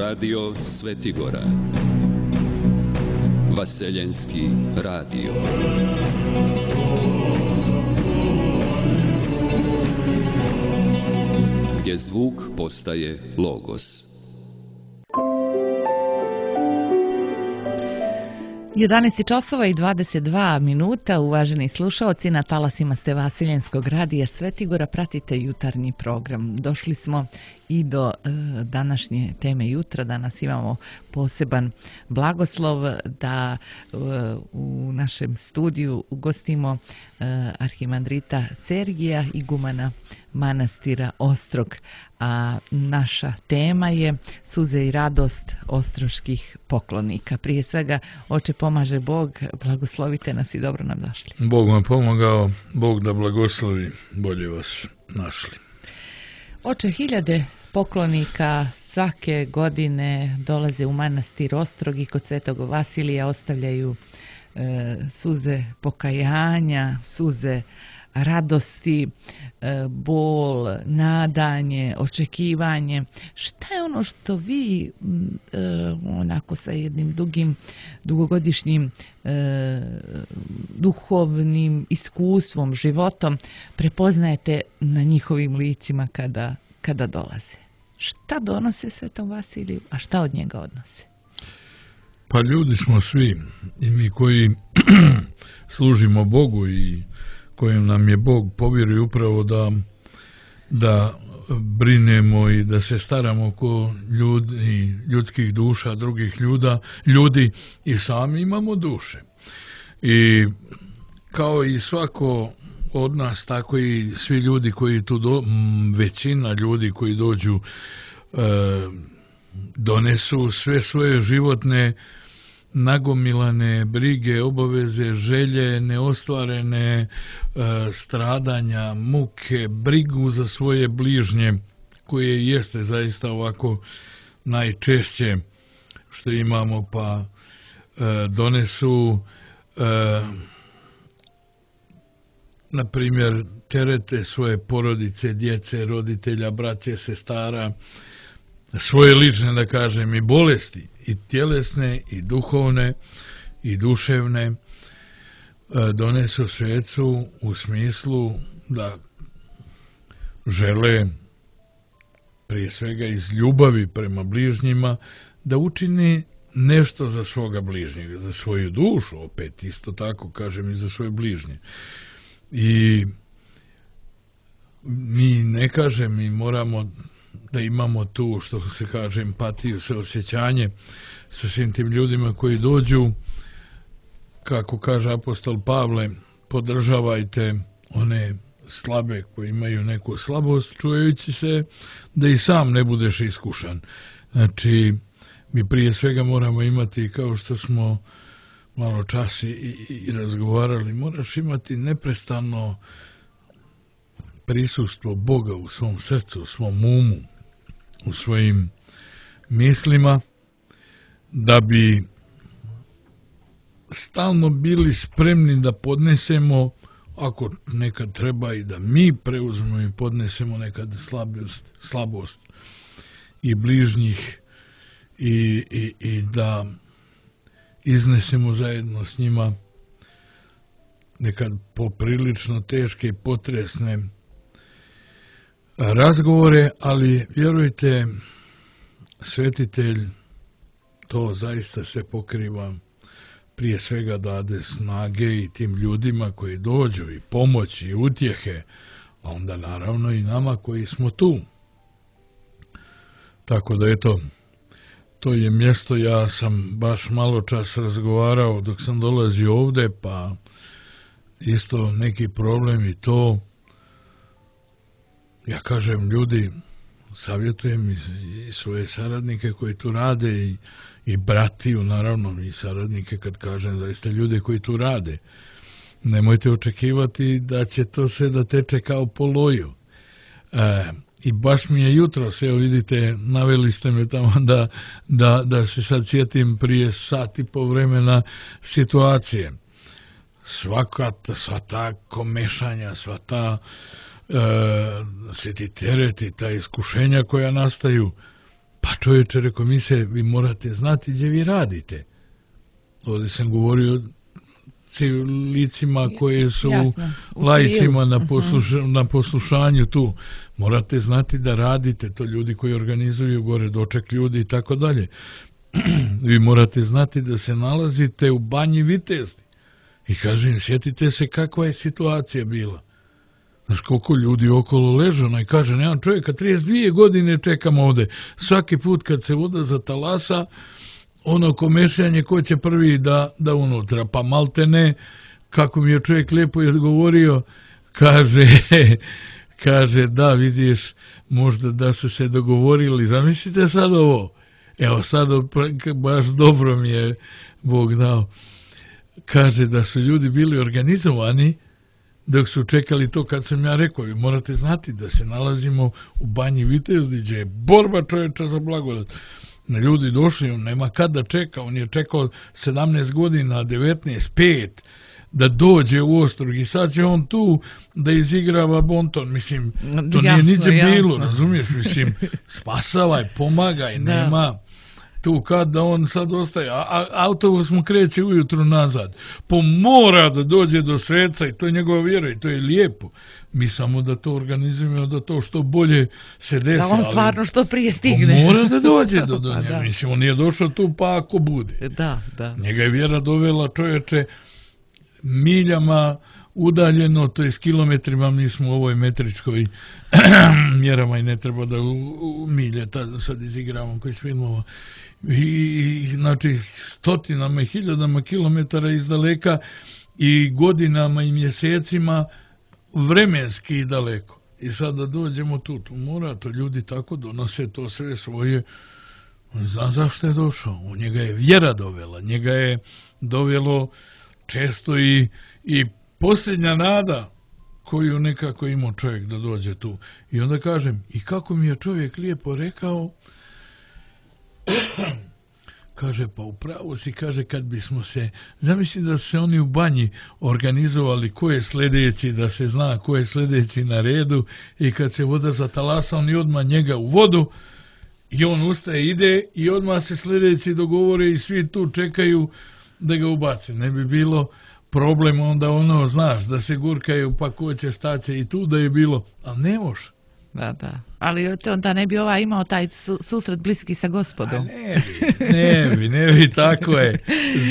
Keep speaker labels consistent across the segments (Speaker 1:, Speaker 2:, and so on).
Speaker 1: Radio Svetigora. Vaseljenski radio. Gdje zvuk postaje logos.
Speaker 2: 11 časova i 22 minuta, uvaženi slušaoci, na talasima ste Vaseljenskog radija Svetigora, pratite jutarnji program. Došli smo i do današnje teme jutra. Danas imamo poseban blagoslov da u našem studiju ugostimo arhimandrita Sergija, igumana manastira Ostrog. A naša tema je suze i radost ostroških poklonika. Prije svega, oče pomaže Bog, blagoslovite nas i dobro nam došli.
Speaker 3: Bog vam pomogao, Bog da blagoslovi, bolje vas našli.
Speaker 2: Oče, hiljade poklonika svake godine dolaze u manastir Ostrog i kod Svetog Vasilija ostavljaju suze pokajanja, suze radosti, bol, nadanje, očekivanje. Šta je ono što vi onako sa jednim dugogodišnjim duhovnim iskustvom, životom prepoznajete na njihovim licima kada dolaze? Šta donose Svetom Vasiliju, a šta od njega odnose?
Speaker 3: Pa ljudi smo svi, i mi koji služimo Bogu i kojem nam je Bog povjerio upravo da brinemo i da se staramo oko ljudskih duša, drugih ljudi, i sami imamo duše. I kao i svako od nas, tako i svi ljudi koji tu većina ljudi koji dođu donesu sve svoje životne nagomilane brige, obaveze, želje, neostvarene stradanja, muke, brigu za svoje bližnje, koje jeste zaista ovako najčešće što imamo, pa donesu na primjer terete svoje porodice, djece, roditelja, braće, sestara, svoje lične, da kažem, i bolesti, i tjelesne, i duhovne, i duševne, donesu svecu u smislu da žele, prije svega iz ljubavi prema bližnjima, da učini nešto za svoga bližnjega, za svoju dušu, opet isto tako kažem, i za svoje bližnje. I mi ne kažem, mi moramo da imamo tu, što se kaže, empatiju, saosjećanje sa svim tim ljudima koji dođu, kako kaže apostol Pavle, podržavajte one slabe koji imaju neku slabost, čuvajući se da i sam ne budeš iskušan. Znači, mi prije svega moramo imati, kao što smo malo čas i razgovarali, moraš imati neprestano prisustvo Boga u svom srcu, u svom umu, u svojim mislima, da bi stalno bili spremni da podnesemo, ako nekad treba i da mi preuzmemo i podnesemo nekad slabost i bližnjih i da iznesemo zajedno s njima nekad poprilično teške i potresne razgovore, ali vjerujte, svetitelj to zaista sve pokriva, prije svega dade snage i tim ljudima koji dođu, i pomoć i utjehe, a onda naravno i nama koji smo tu. Tako da eto, to je mjesto, ja sam baš malo čas razgovarao dok sam dolazio ovdje, pa isto neki problem i to. Ja kažem, ljudi, savjetujem i svoje saradnike koji tu rade i bratiju, naravno, i saradnike, kad kažem zaista ljude koji tu rade. Nemojte očekivati da će to sve da teče kao po loju. I baš mi je jutros, evo vidite, naveli ste me tamo da se sad sjetim prije sat i po vremena situacije. Sva ta komešanja, sva ta svi ti tereti, ta iskušenja koja nastaju, Pa čovječe, rekao mi se, vi morate znati gdje vi radite. Ovdje sam govorio licima koje su laicima na poslušanju tu. Morate znati da radite, to ljudi koji organizuju gore doček ljudi i tako dalje. Vi morate znati da se nalazite u Banji Vitezdi. I kažem, sjetite se kakva je situacija bila. Znaš koliko ljudi okolo leže, onaj kaže, nemam čovjeka, 32 godine čekam ovde. Svaki put kad se voda zatalasa, ono komešanje ko će prvi da unutra, pa maltene, kako mi je čovjek lijepo odgovorio, kaže, da, vidiš, možda da su se dogovorili, zamislite sad ovo, evo sad baš dobro mi je Bog dao, kaže da su ljudi bili organizovani, dok su čekali to kad sam ja rekao, vi morate znati da se nalazimo u Banji Vitezdi, gdje je borba čovječa za blagodat. Ljudi došli, on nema kad da čeka, on je čekao 17 godina, 19, 5, da dođe u Ostrog i sad će on tu da izigrava bonton, mislim, to nije niđe bilo, razumiješ, mislim, spasavaj, pomagaj, nema tu kad da on sad ostaje, autobus mu kreće ujutru nazad, mora da dođe do sveca i to je njegova vjera i to je lijepo. Mi samo da to organizujemo, da to što bolje se desi. Da
Speaker 2: on stvarno što prije stigne.
Speaker 3: Mora da dođe do njega, mislim, on nije došao tu pa ako bude.
Speaker 2: Da.
Speaker 3: Njega je vjera dovela, čovječe, miljama udaljeno, to je s kilometrima, mi smo u ovoj metričkoj mjerama i ne treba da u milje sad izigravamo koji s filmova. I znači stotinama i hiljadama kilometara iz daleka i godinama i mjesecima vremenski daleko. I sad da dođemo tu mora, to ljudi tako donose to sve svoje. On zna zašto je došao. U njega je vjera dovela, njega je dovelo često i posljednja nada koju nekako imao čovjek da dođe tu. I onda kažem, i kako mi je čovjek lijepo rekao, kaže, pa upravo si, kaže, kad bismo se, zamisli da su se oni u banji organizovali ko je sljedeći, da se zna ko je sljedeći na redu i kad se voda zatalasa, oni odmah njega u vodu i on ustaje, ide i odmah se sljedeći dogovore i svi tu čekaju da ga ubace. Ne bi bilo problem onda ono, znaš, da se gurkaju pa ko će, šta će i tu da je bilo, ali ne može.
Speaker 2: Da. Ali onda ne bi imao taj susret bliski sa Gospodom.
Speaker 3: Ne bi, tako je.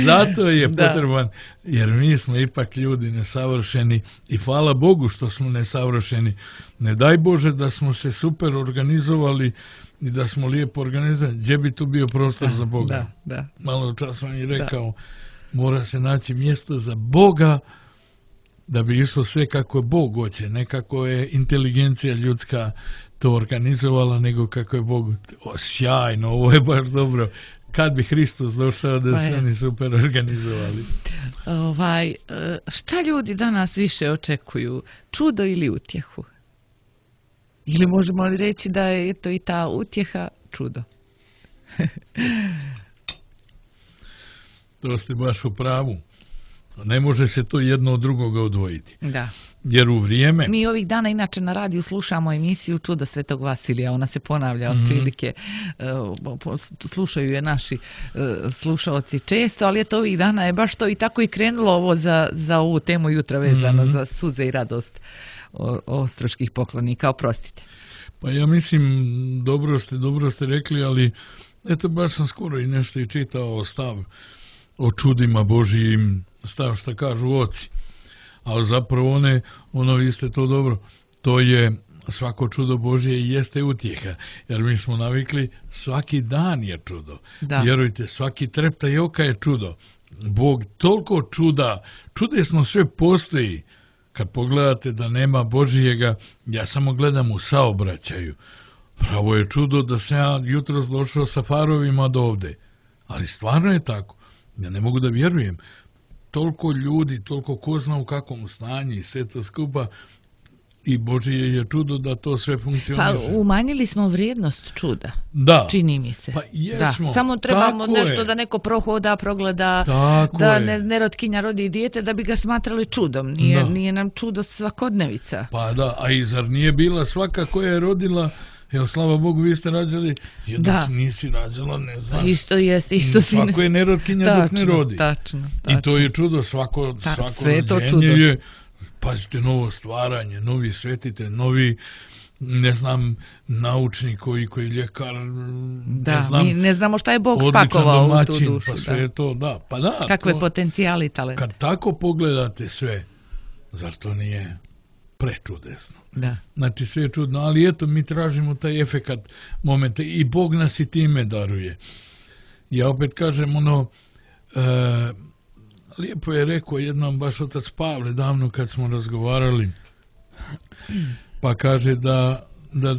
Speaker 3: Zato je potreban, jer mi smo ipak ljudi nesavršeni i hvala Bogu što smo nesavršeni. Ne daj Bože da smo se super organizovali i da smo lijepo organizovali. Gdje bi tu bio prostor za Boga?
Speaker 2: Da.
Speaker 3: Malo čas sam i rekao, mora se naći mjesto za Boga, da bi išlo sve kako Bog hoće, ne kako je inteligencija ljudska to organizovala, nego kako je Bog. Sjajno, ovo je baš dobro. Kad bi Hristos došao da se oni super organizovali.
Speaker 2: Šta ljudi danas više očekuju? Čudo ili utjehu? Ili možemo li reći da je to i ta utjeha čudo?
Speaker 3: To ste baš u pravu. Ne može se to jedno od drugoga odvojiti.
Speaker 2: Da.
Speaker 3: Jer u vrijeme...
Speaker 2: Mi ovih dana inače na radiju slušamo emisiju Čudo Svetog Vasilija. Ona se ponavlja otprilike. Slušaju je naši slušaoci često, ali eto ovih dana je baš to i tako i krenulo ovo za ovu temu jutra vezano za suze i radost ostroških poklonika. Oprostite.
Speaker 3: Pa ja mislim, dobro ste rekli, ali eto baš sam skoro i nešto i čitao stav o čudima Božijim, stav što kažu oci. Ali zapravo ono vi ste to dobro, to je svako čudo Božije i jeste utjeha. Jer mi smo navikli, svaki dan je čudo. Da. Vjerujte, svaki treptaj oka je čudo. Bog toliko čudesno sve postoji. Kad pogledate da nema Božijega, ja samo gledam u saobraćaju. Pravo je čudo da sam ja jutros došao sa farovima do ovde. Ali stvarno je tako. Ja ne mogu da vjerujem. Toliko ljudi, toliko ko zna u kakvom stanju i sve to skupa i Božije je čudo da to sve funkcioniše.
Speaker 2: Pa umanjili smo vrijednost čuda.
Speaker 3: Da.
Speaker 2: Čini mi se.
Speaker 3: Pa jesmo.
Speaker 2: Samo trebamo nešto da neko prohoda, progleda, da nerotkinja rodi dijete da bi ga smatrali čudom. Nije nam čudo svakodnevica.
Speaker 3: Pa da, a i zar nije bila svaka koja je rodila Jel, slava Bogu, vi ste rađali, jednog nisi rađala, ne znam.
Speaker 2: Isto si.
Speaker 3: Svako je nerotkinja dok ne rodi.
Speaker 2: Tačno.
Speaker 3: I to je čudo, svako rođenje je, pazite, novo stvaranje, novi svetitelj, novi, ne znam, naučnik koji ljekar,
Speaker 2: mi ne znamo šta je Bog spakovao u tu dušu.
Speaker 3: Pa sve je to, pa da.
Speaker 2: Kakve potencijali i talente.
Speaker 3: Kad tako pogledate sve, zar to nije prečudesno?
Speaker 2: Da.
Speaker 3: Znači sve je čudno, ali eto, mi tražimo taj efekat momenta i Bog nas i time daruje. Ja opet kažem, lijepo je rekao jednom baš otac Pavle davno kad smo razgovarali, pa kaže da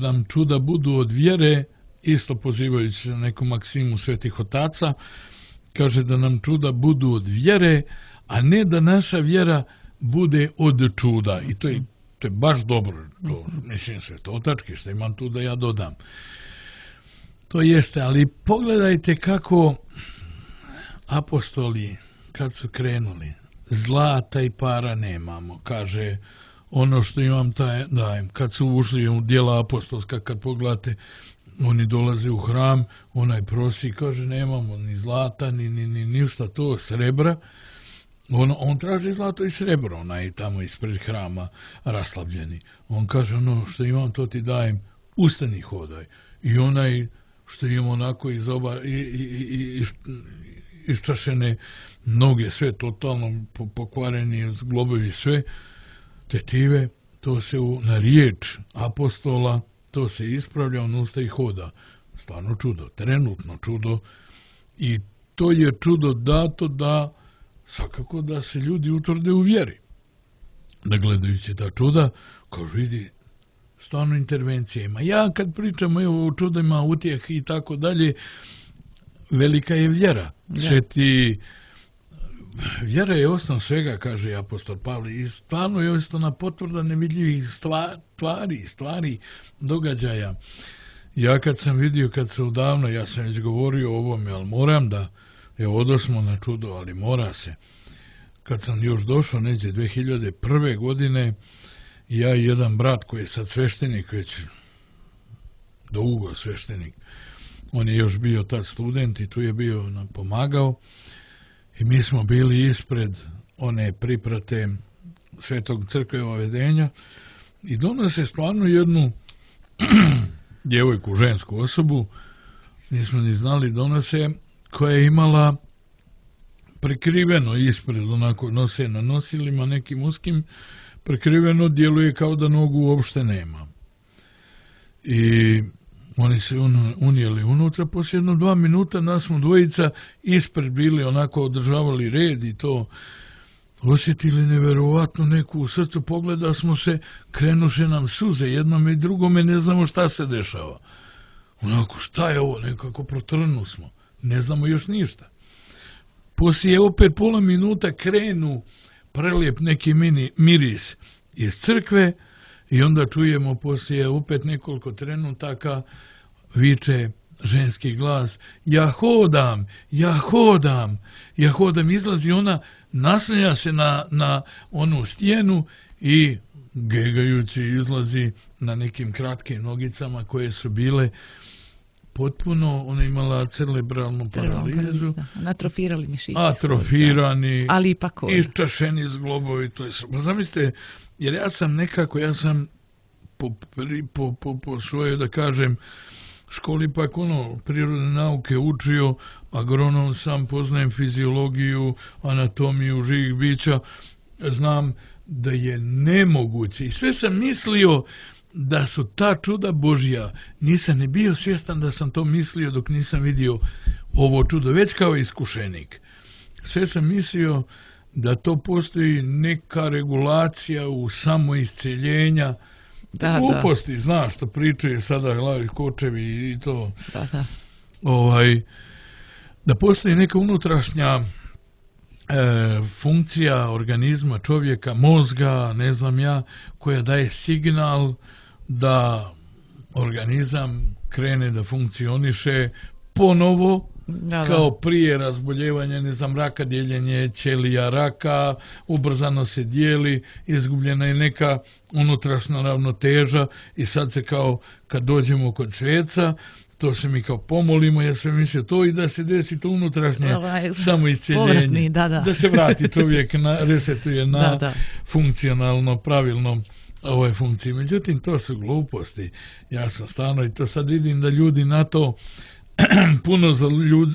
Speaker 3: nam čuda budu od vjere, isto pozivajući se na neku maksimu svetih otaca, kaže da nam čuda budu od vjere, a ne da naša vjera bude od čuda. I to je baš dobro, to mislim svetotački, što imam tu da ja dodam. To jeste, ali pogledajte kako apostoli, kad su krenuli, zlata i para nemamo, kaže, ono što imam taj dajem. Kad su ušli u djela apostolska, kad pogledate, oni dolaze u hram, onaj prosi, kaže, nemamo ni zlata, ni ništa, to srebra. On traži zlato i srebro, onaj tamo ispred hrama raslavljeni. On kaže, ono što imam, to ti dajem, ustani, hodaj. I onaj što imam onako iščašene noge, sve totalno pokvareni, zglobovi, sve, tetive, to se na riječ apostola, to se ispravlja, on usta i hoda. Stvarno čudo, trenutno čudo. I to je čudo dato da svakako da se ljudi utvrde u vjeri. Da gledajući ta čuda, kao vidi, stvarno intervencija ima. Ja kad pričam o čudima, utjeh i tako dalje, velika je vjera. Vjera je osnov svega, kaže apostol Pavle, i stvarno je osnovna potvrda nevidljivih stvari, događaja. Ja kad sam vidio, kad se odavno, ja sam već govorio o ovome, ali moram da, odosmo na čudo, ali mora se. Kad sam još došao, neđe 2001. godine, ja i jedan brat koji je sad sveštenik, već dugo sveštenik, on je još bio tad student i tu je bio nam pomagao, i mi smo bili ispred one priprate Svetog crkve ovedenja i donose stvarno jednu djevojku, žensku osobu, nismo ni znali, donose, koja je imala prekriveno ispred, onako nose na nosilima nekim uskim, prekriveno, djeluje kao da nogu uopšte nema. I oni se unijeli unutra, poslije 2 minuta nas smo dvojica ispred bili, onako održavali red i to, osjetili neverovatno neku u srcu, pogleda smo se, krenuše nam suze, jednome i drugome, ne znamo šta se dešava. Onako, šta je ovo, nekako protrnu smo, ne znamo još ništa. Poslije opet pola minuta krenu prelijep neki miris iz crkve i onda čujemo poslije opet nekoliko trenutaka viče ženski glas, ja hodam, izlazi ona, naslanja se na onu stijenu i gegajući izlazi na nekim kratkim nogicama koje su bile potpuno, ona imala cerebralnu paralizu.
Speaker 2: Atrofirali mišići.
Speaker 3: Atrofirani,
Speaker 2: ali ipak
Speaker 3: iščašeni zglobovi. To je, zamislite, jer ja sam po svojoj, da kažem, školi pak prirodne nauke učio, agronom sam, poznajem fiziologiju, anatomiju živih bića, znam da je nemoguće. I sve sam mislio da su ta čuda Božja. Nisam ni bio svjestan da sam to mislio dok nisam vidio ovo čudo, već kao iskušenik. Sve sam mislio da to postoji neka regulacija u samoisceljenja. Gluposti, znaš što pričaju sada glavi kočevi i to. Da postoji neka unutrašnja funkcija organizma čovjeka, mozga, ne znam ja, koja daje signal da organizam krene da funkcioniše ponovo, kao prije razboljevanja, ne znam, raka, dijeljenje ćelija raka, ubrzano se dijeli, izgubljena je neka unutrašnja ravnoteža i sad se kao kad dođemo kod sveca, to se mi kao pomolimo, ja sve mislio to i da se desi to unutrašnje samoisceljenje, da se vrati čovjek, resetuje na funkcionalno, pravilno funkciji. Međutim, to su gluposti. Ja sam stvarno i to sad vidim da ljudi na to puno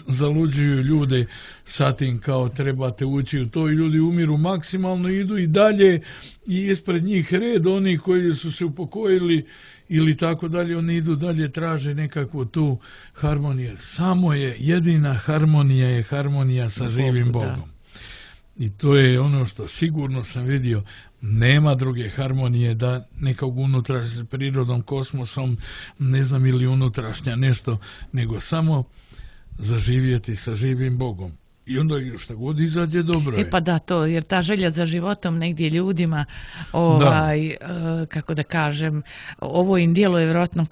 Speaker 3: zaluđuju ljude sa tim kao trebate ući u to i ljudi umiru maksimalno, idu i dalje i ispred njih red oni koji su se upokojili ili tako dalje, oni idu dalje, traže nekakvu tu harmoniju. Samo je, jedina harmonija je harmonija sa živim Bogom. I to je ono što sigurno sam vidio, nema druge harmonije da nekog unutrašnja s prirodom, kosmosom, ne znam, ili unutrašnja nešto, nego samo zaživjeti sa živim Bogom. I onda šta god izađe dobro je.
Speaker 2: Pa da, to, jer ta želja za životom negdje ljudima, kako da kažem, ovo im djeluje vjerojatno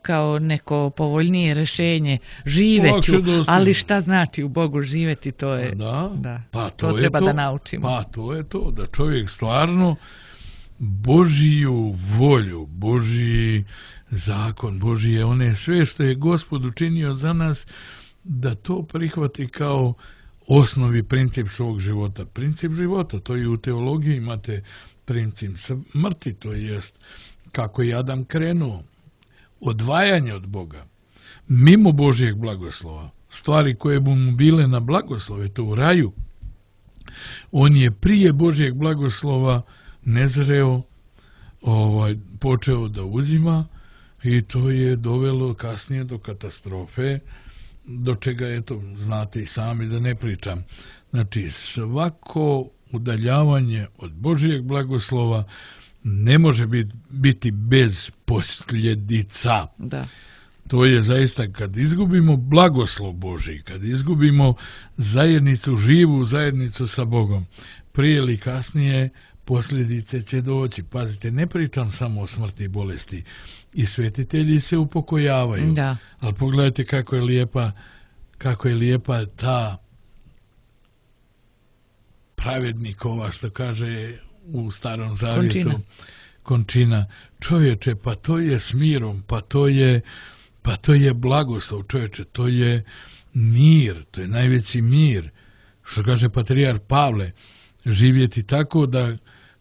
Speaker 2: kao neko povoljnije rješenje. Živeću, ali šta znači u Bogu živjeti, to je,
Speaker 3: pa
Speaker 2: to treba da naučimo.
Speaker 3: Pa to je to, da čovjek stvarno Božiju volju, Božji zakon, Božije one sve što je Gospod učinio za nas, da to prihvati kao osnovi princip svog života. Princip života, to i u teologiji imate princip smrti, to jest kako je Adam krenuo. Odvajanje od Boga, mimo Božijeg blagoslova, stvari koje bi mu bile na blagoslove, to u raju, on je prije Božijeg blagoslova nezreo, počeo da uzima i to je dovelo kasnije do katastrofe, do čega je to, znate i sami da ne pričam. Znači, svako udaljavanje od Božijeg blagoslova ne može biti bez posljedica.
Speaker 2: Da.
Speaker 3: To je zaista kad izgubimo blagoslov Božji, kad izgubimo zajednicu, živu zajednicu sa Bogom, prije ili kasnije posljedice će doći. Pazite, ne pričam samo o smrti i bolesti. I svetitelji se upokojavaju.
Speaker 2: Da.
Speaker 3: Ali pogledajte kako je lijepa ta pravednikova, što kaže u Starom Zavjetu, končina. Čovječe, pa to je s mirom, pa to je blagoslov, čovječe, to je mir, to je najveći mir. Što kaže patrijarh Pavle, živjeti tako da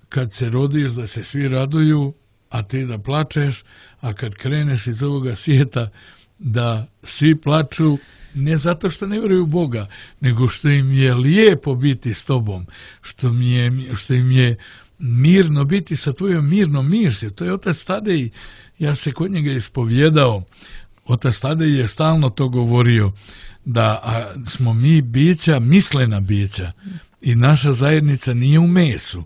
Speaker 3: kad se rodiš da se svi raduju, a ti da plačeš, a kad kreneš iz ovoga svijeta da svi plaču, ne zato što ne vjeruju u Boga, nego što im je lijepo biti s tobom, što im je mirno biti sa tvojom mirnom mišlju. To je otac Tadej, ja se kod njega ispovjedao, otac Tadej je stalno to govorio, da smo mi bića, mislena bića, i naša zajednica nije u mesu,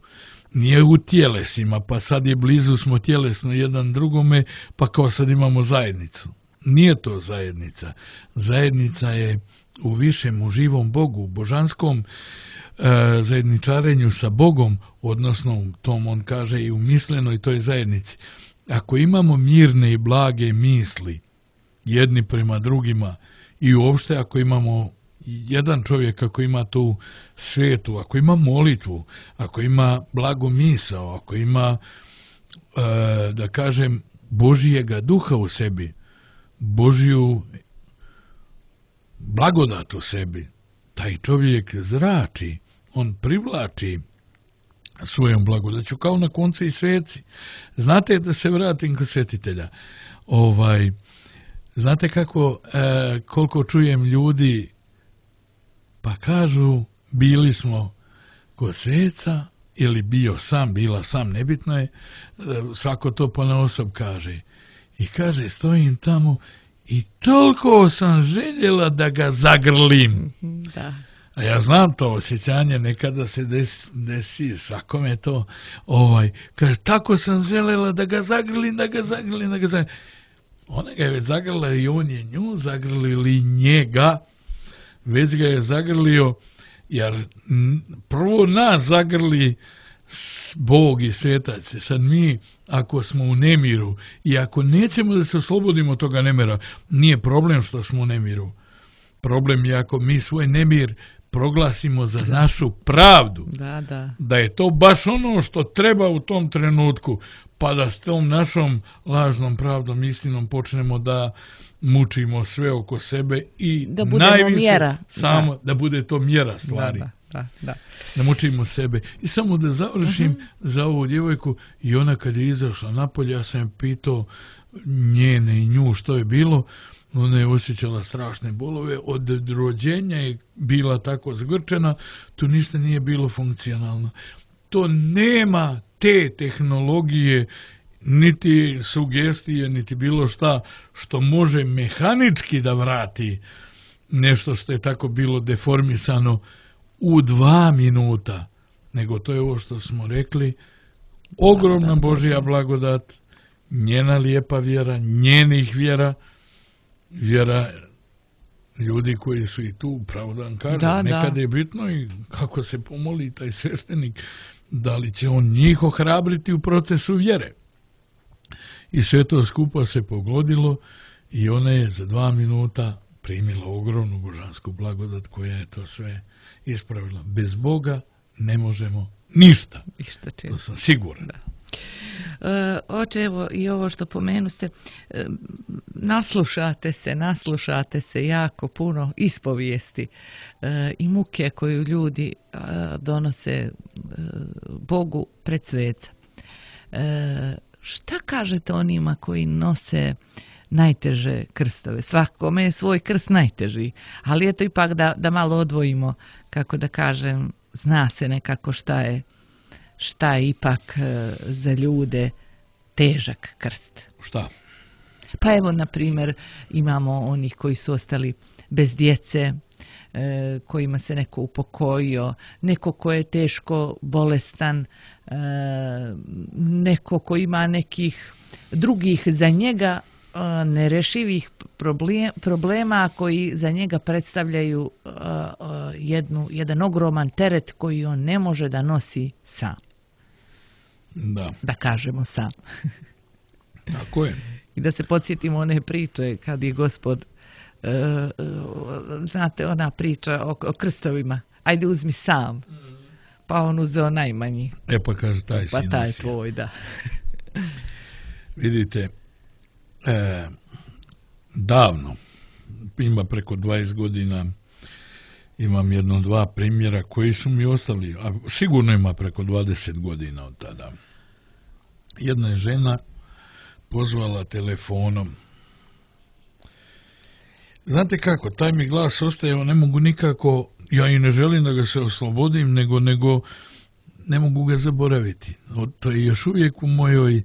Speaker 3: nije u tjelesima, pa sad je blizu smo tjelesno jedan drugome, pa kao sad imamo zajednicu. Nije to zajednica. Zajednica je u višem, u živom Bogu, u božanskom zajedničarenju sa Bogom, odnosno u tom on kaže i u mislenoj toj zajednici. Ako imamo mirne i blage misli jedni prema drugima i uopšte ako imamo jedan čovjek, ako ima tu svetu, ako ima molitvu, ako ima blago misao, ako ima, da kažem, Božijega duha u sebi, Božiju blagodat u sebi, taj čovjek zrači, on privlači svojom blagodaću, kao na koncu i sveci. Znate, da se vratim kod svetitelja, znate koliko čujem ljudi, pa kažu, bili smo kod sveca, ili bio sam, bila sam, nebitno je, svako to ponaosob kaže. I kaže, stojim tamo i toliko sam željela da ga zagrlim.
Speaker 2: Da.
Speaker 3: A ja znam to osjećanje, nekada se desi, svakome to, kaže, tako sam željela da ga zagrlim. Ona ga je već zagrla i on je nju zagrlili njega, već ga je zagrlio, jer prvo nas zagrli Bog i svetac. Sad mi, ako smo u nemiru i ako nećemo da se oslobodimo toga nemira, nije problem što smo u nemiru, Problem je ako mi svoj nemir proglasimo za našu pravdu. Da je to baš ono što treba u tom trenutku, pa da s tom našom lažnom pravdom, istinom počnemo da mučimo sve oko sebe i
Speaker 2: da budemo mjera.
Speaker 3: Da bude to mjera stvari. Da mučimo sebe. I samo da završim za ovu djevojku, i ona kad je izašla napolje, ja sam pitao njene i nju što je bilo. Ona je osjećala strašne bolove, od rođenja je bila tako zgrčena, tu ništa nije bilo funkcionalno. To nema te tehnologije, niti sugestije, niti bilo šta što može mehanički da vrati nešto što je tako bilo deformisano u 2 minuta. Nego to je ovo što smo rekli, ogromna Božja blagodat, njena lijepa vjera, njenih vjera, vjera ljudi koji su i tu, pravo da vam kažem, nekad je bitno i kako se pomoli taj sveštenik, da li će on njih ohrabriti u procesu vjere. I sve to skupa se pogodilo i ona je za 2 minuta primila ogromnu božansku blagodat koja je to sve ispravila. Bez Boga ne možemo ništa. To sam siguran.
Speaker 2: Oče, evo i ovo što pomenuste, naslušate se jako puno ispovijesti i muke koju ljudi donose Bogu pred sveca. Šta kažete onima koji nose najteže krstove? Svakome je svoj krst najteži, ali eto ipak da malo odvojimo, kako da kažem, zna se nekako šta je ipak za ljude težak krst.
Speaker 3: Šta?
Speaker 2: Pa evo, na primjer, imamo onih koji su ostali bez djece, kojima se neko upokojio, neko ko je teško bolestan, neko ko ima nekih drugih za njega nerešivih problema koji za njega predstavljaju jedan ogroman teret koji on ne može da nosi sam. Da kažemo sam.
Speaker 3: Tako je.
Speaker 2: I da se podsjetimo one priče kad je Gospod, znate, ona priča o krstovima, ajde uzmi sam, pa on uzeo najmanji.
Speaker 3: Pa kaže taj sin.
Speaker 2: Pa taj tvoj, da.
Speaker 3: Vidite, davno, ima preko 20 godina, imam 1-2 primjera koji su mi ostali, a sigurno ima preko 20 godina od tada. Jedna je žena pozvala telefonom. Znate kako, taj mi glas ostaje, ne mogu nikako, ja i ne želim da ga se oslobodim, nego ne mogu ga zaboraviti. To je još uvijek u mojoj,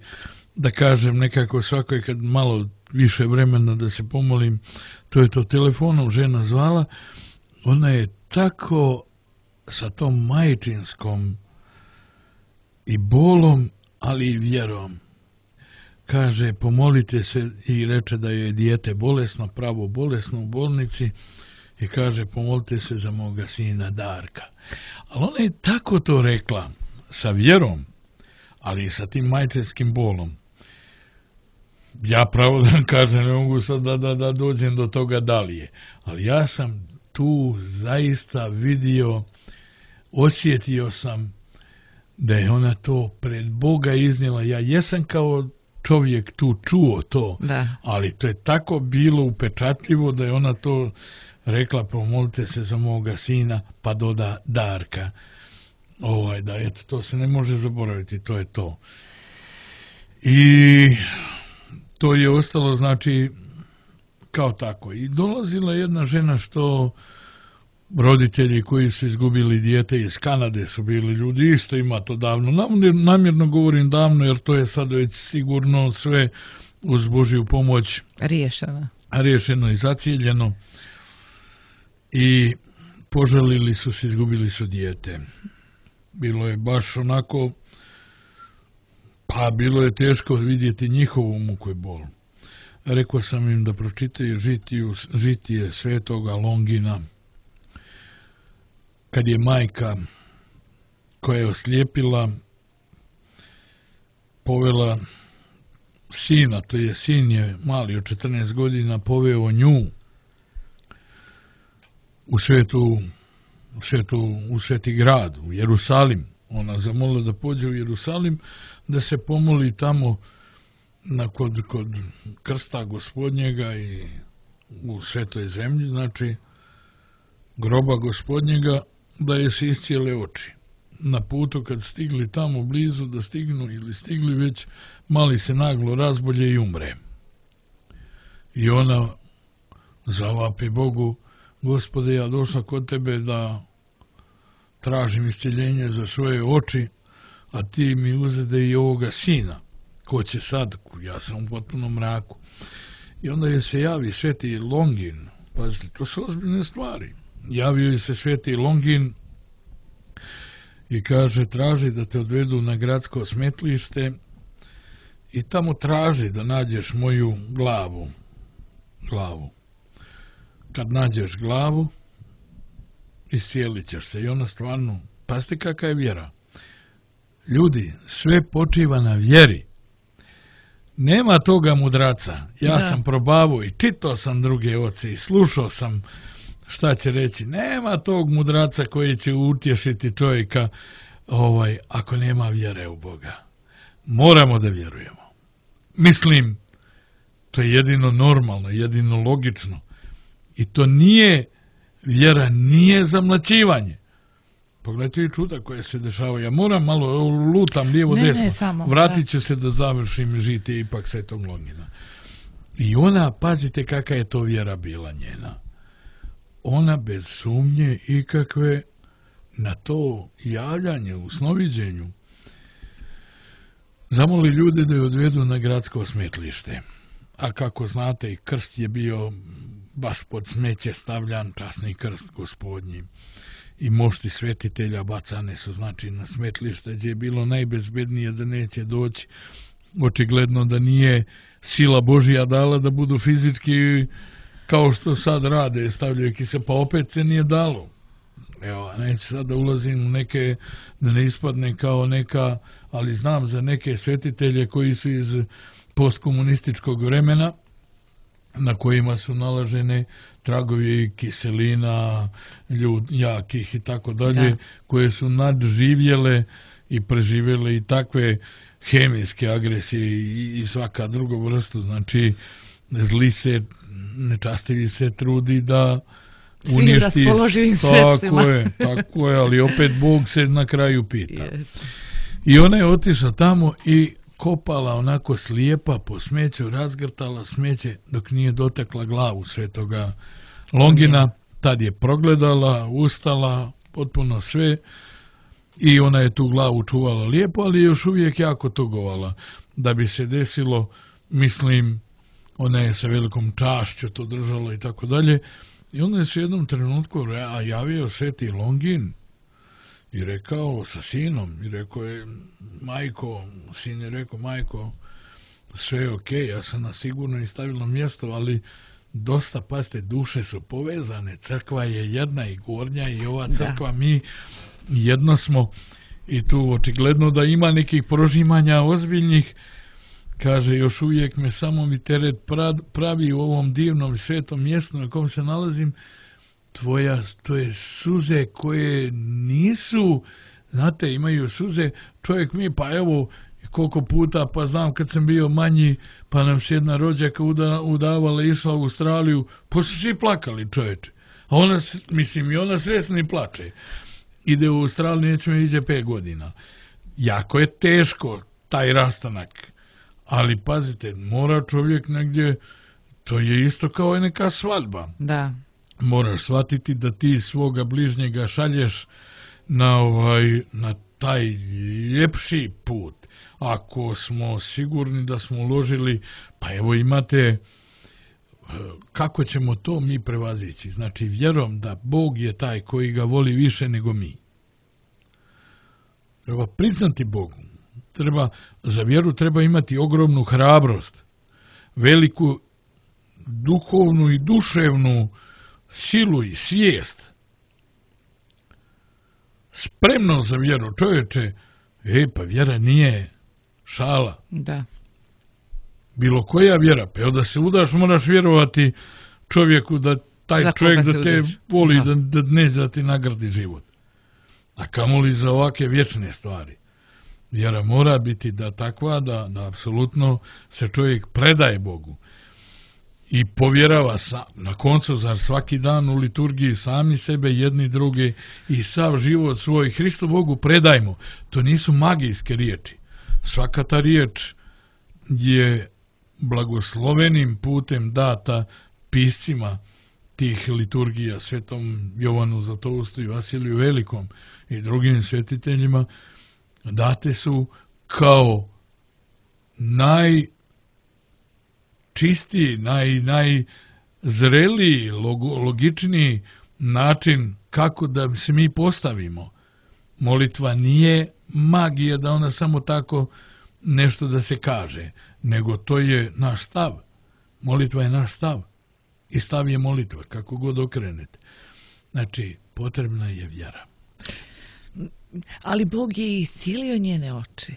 Speaker 3: da kažem, nekako svakoj kad malo više vremena da se pomolim, to je to telefonom žena zvala, ona je tako sa tom majčinskom i bolom, ali i vjerom. Kaže, pomolite se, i reče da je dijete bolesno, pravo bolesno u bolnici, i kaže, pomolite se za moga sina Darka. Ali ona je tako to rekla, sa vjerom, ali i sa tim majčinskim bolom. Ja pravo da kažem, ne mogu sad da dođem do toga da li je. Ali ja sam tu zaista vidio, osjetio sam da je ona to pred Boga iznijela. Ja jesam kao čovjek tu čuo to, ali to je tako bilo upečatljivo da je ona to rekla, pomolite se za moga sina, pa doda Darka. Da, eto, to se ne može zaboraviti, to je to. I to je ostalo, znači, kao tako. I dolazila jedna žena što roditelji koji su izgubili dijete iz Kanade su bili ljudi, isto ima to davno. Namjerno govorim davno, jer to je sad već sigurno sve uz Božju pomoć riješeno i zacijeljeno. I požalili su se, izgubili su dijete. Bilo je baš onako, pa bilo je teško vidjeti njihovu muku i bol. Rekao sam im da pročitaju žitije svetoga Longina, kad je majka koja je oslijepila povela sina, to je sin je mali od 14 godina, poveo nju u Sveti grad, u Jerusalim. Ona zamolila da pođe u Jerusalim, da se pomoli tamo kod krsta Gospodnjega i u Svetoj zemlji, znači groba Gospodnjega, da je se iscijele oči. Na putu kad stigli tamo blizu, da stignu ili stigli već, mali se naglo razbolje i umre. I ona zavapi Bogu: Gospode, ja došla kod tebe da tražim iscjeljenje za svoje oči, a ti mi uzede i ovoga sina. Ko će sad? Ja sam u potpunom mraku. I onda je se javi sveti Longin. Pazite, to su ozbiljne stvari. Javio je se sveti Longin i kaže: traži da te odvedu na gradsko smetlište i tamo traži da nađeš moju glavu. Kad nađeš glavu, iscijelit ćeš se. I ona stvarno, pazite kakva je vjera. Ljudi, sve počiva na vjeri. Nema toga mudraca. Ja sam probavao i čitao sam druge oce i slušao sam šta će reći. Nema tog mudraca koji će utješiti čovjeka ako nema vjere u Boga. Moramo da vjerujemo. Mislim, to je jedino normalno, jedino logično. I to nije, vjera nije zamlaćivanje. Pogledajte i čuda koje se dešava. Ja moram malo, lutam lijevo desno. Vratit ću se da završim žitije ipak Svetog Longina. I ona, pazite kakva je to vjera bila njena. Ona bez sumnje ikakve na to javljanje u snoviđenju zamoli ljude da je odvedu na gradsko smetlište. A kako znate, i krst je bio baš pod smeće stavljan, časni krst Gospodnji. I mošti svetitelja bacane su, znači, na smetlište gdje je bilo najbezbednije da neće doći. Očigledno da nije sila Božja dala da budu fizički kao što sad rade, stavljaju se, pa opet se nije dalo. Evo, neću sad da ulazim u neke, da ne ispadne kao neka, ali znam za neke svetitelje koji su iz postkomunističkog vremena, na kojima su nalažene tragovi kiselina, jakih i tako dalje, koje su nadživjele i preživjele i takve hemijske agresije i svaka druga vrstu. Znači, zli se, nečastivi se trudi da uništi. Tako je, ali opet Bog se na kraju pita. I ona je otišla tamo i kopala onako slijepa po smeću, razgrtala smeće dok nije dotakla glavu svetoga Longina. Tad je progledala, ustala, potpuno sve, i ona je tu glavu čuvala lijepo, ali još uvijek jako tugovala. Da bi se desilo, mislim, ona je sa velikom čašću to držala i tako dalje. I onda je se u jednom trenutku javio sveti Longin i rekao sa sinom, i rekao je: majko, sin je rekao: majko, sve je okej, ja sam na sigurno i stabilno mjesto, ali dosta, pazite, duše su povezane, crkva je jedna i gornja i ova crkva, mi jedno smo, i tu očigledno da ima nekih prožimanja ozbiljnih. Kaže: još uvijek me samo mi teret pravi u ovom divnom svetom mjestu na kom se nalazim. To je suze koje nisu, znate, imaju suze, čovjek mi, pa evo, koliko puta, pa znam kad sam bio manji, pa nam se jedna rođaka udavala, išla u Australiju, pa su svi plakali, čovječe. A ona, mislim, i ona svjesno i plače. Ide u Australiju, nećemo iđe 5 godina. Jako je teško taj rastanak. Ali pazite, mora čovjek negdje, to je isto kao i neka svadba.
Speaker 2: Da.
Speaker 3: Moraš shvatiti da ti svoga bližnjega šalješ na taj ljepši put. Ako smo sigurni da smo uložili, pa evo imate, kako ćemo to mi prevazići? Znači, vjerom da Bog je taj koji ga voli više nego mi. Treba priznati Bogu. Za vjeru treba imati ogromnu hrabrost, veliku duhovnu i duševnu silu i svijest. Spremno za vjeru, čovječe, pa vjera nije šala.
Speaker 2: Da.
Speaker 3: Bilo koja vjera, pa da se udaš, moraš vjerovati čovjeku da taj
Speaker 2: za
Speaker 3: čovjek
Speaker 2: koga
Speaker 3: da
Speaker 2: se
Speaker 3: te
Speaker 2: udeš.
Speaker 3: voli,
Speaker 2: Da.
Speaker 3: da neće da ti nagradi život. A kamoli za ovake vječne stvari. Vjera mora biti da takva, da apsolutno se čovjek predaje Bogu. I povjerava na koncu za svaki dan u liturgiji sami sebe, jedni druge i sav život svoj Hristu Bogu predajmo. To nisu magijske riječi. Svaka ta riječ je blagoslovenim putem data piscima tih liturgija, svetom Jovanu Zlatoustu i Vasiliju Velikom i drugim svetiteljima, date su kao najčistiji, najzreliji, logičniji način kako da se mi postavimo. Molitva nije magija da ona samo tako nešto da se kaže, nego to je naš stav. Molitva je naš stav. I stav je molitva, kako god okrenete. Znači, potrebna je vjera.
Speaker 2: Ali Bog je iscijelio njene oči.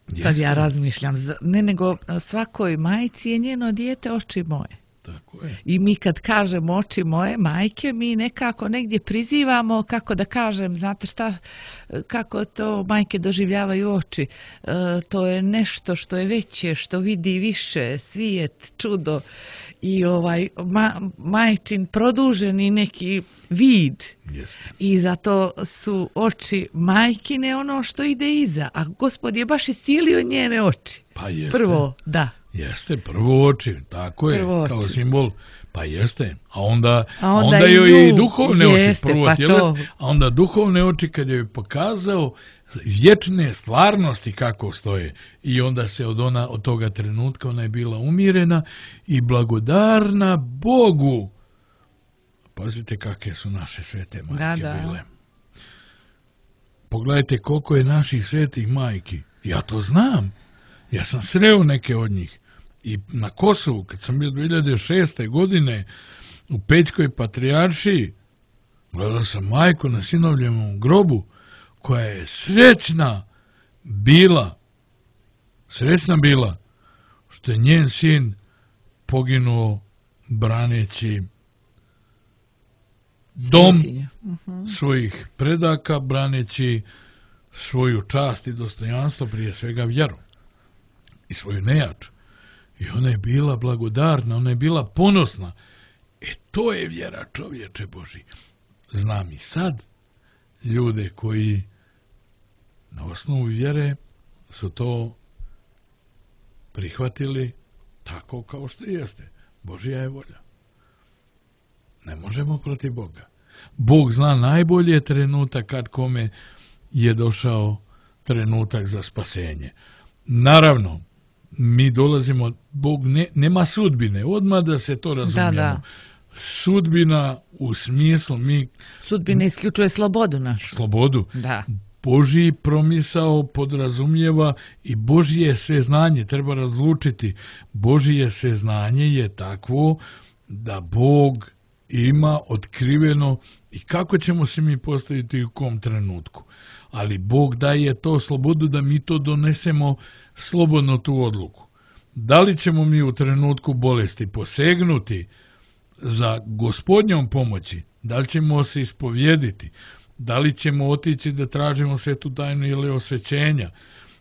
Speaker 2: Sad
Speaker 3: Jeste.
Speaker 2: ja razmišljam, ne nego svakoj majci je njeno dijete oči moje.
Speaker 3: Tako je.
Speaker 2: I mi kad kažemo oči moje majke, mi nekako negdje prizivamo, kako da kažem, znate šta, kako to majke doživljavaju oči. To je nešto što je veće, što vidi više, svijet, čudo i majčin produženi neki vid.
Speaker 3: Jeste.
Speaker 2: I zato su oči majkine ono što ide iza. A Gospod je baš iscijelio njene oči.
Speaker 3: Pa jeste.
Speaker 2: Prvo, da.
Speaker 3: Jeste, prvo oči, tako je,
Speaker 2: Prvo
Speaker 3: kao
Speaker 2: oči.
Speaker 3: simbol, pa jeste, a onda
Speaker 2: i
Speaker 3: joj i
Speaker 2: nju,
Speaker 3: duhovne oči,
Speaker 2: jeste,
Speaker 3: prvo
Speaker 2: pa
Speaker 3: tjelesne,
Speaker 2: to.
Speaker 3: a onda duhovne oči kad joj pokazao vječne stvarnosti kako stoje i onda se od toga trenutka ona je bila umirena i blagodarna Bogu. Pazite kakve su naše svete majke bile. Pogledajte koliko je naših svetih majki, ja to znam. Ja sam sreo neke od njih i na Kosovu, kad sam bio 2006. godine u Pećkoj patrijaršiji, gledao sam majku na sinovljevom grobu, koja je srećna bila, što je njen sin poginuo braneći dom svojih predaka, braneći svoju čast i dostojanstvo, prije svega vjeru i svoju nejač. I ona je bila blagodarna, ona je bila ponosna. To je vjera, čovječe Boži. Znam i sad ljude koji na osnovu vjere su to prihvatili tako kao što jeste. Božja je volja. Ne možemo protiv Boga. Bog zna najbolje trenutak kad kome je došao trenutak za spasenje. Naravno, mi dolazimo, Bog nema sudbine, odmah da se to razumijemo.
Speaker 2: Da.
Speaker 3: Sudbina u smislu
Speaker 2: Sudbina isključuje slobodu našu.
Speaker 3: Slobodu.
Speaker 2: Da.
Speaker 3: Božji promisao podrazumijeva i Božje sveznanje, treba razlučiti. Božje sveznanje je takvo da Bog ima otkriveno i kako ćemo se mi postaviti u kom trenutku. Ali Bog daje to slobodu da mi to donesemo slobodno tu odluku. Da li ćemo mi u trenutku bolesti posegnuti za Gospodnjom pomoći, da li ćemo se ispovjediti, da li ćemo otići da tražimo svetu tajnu ili osvećenja,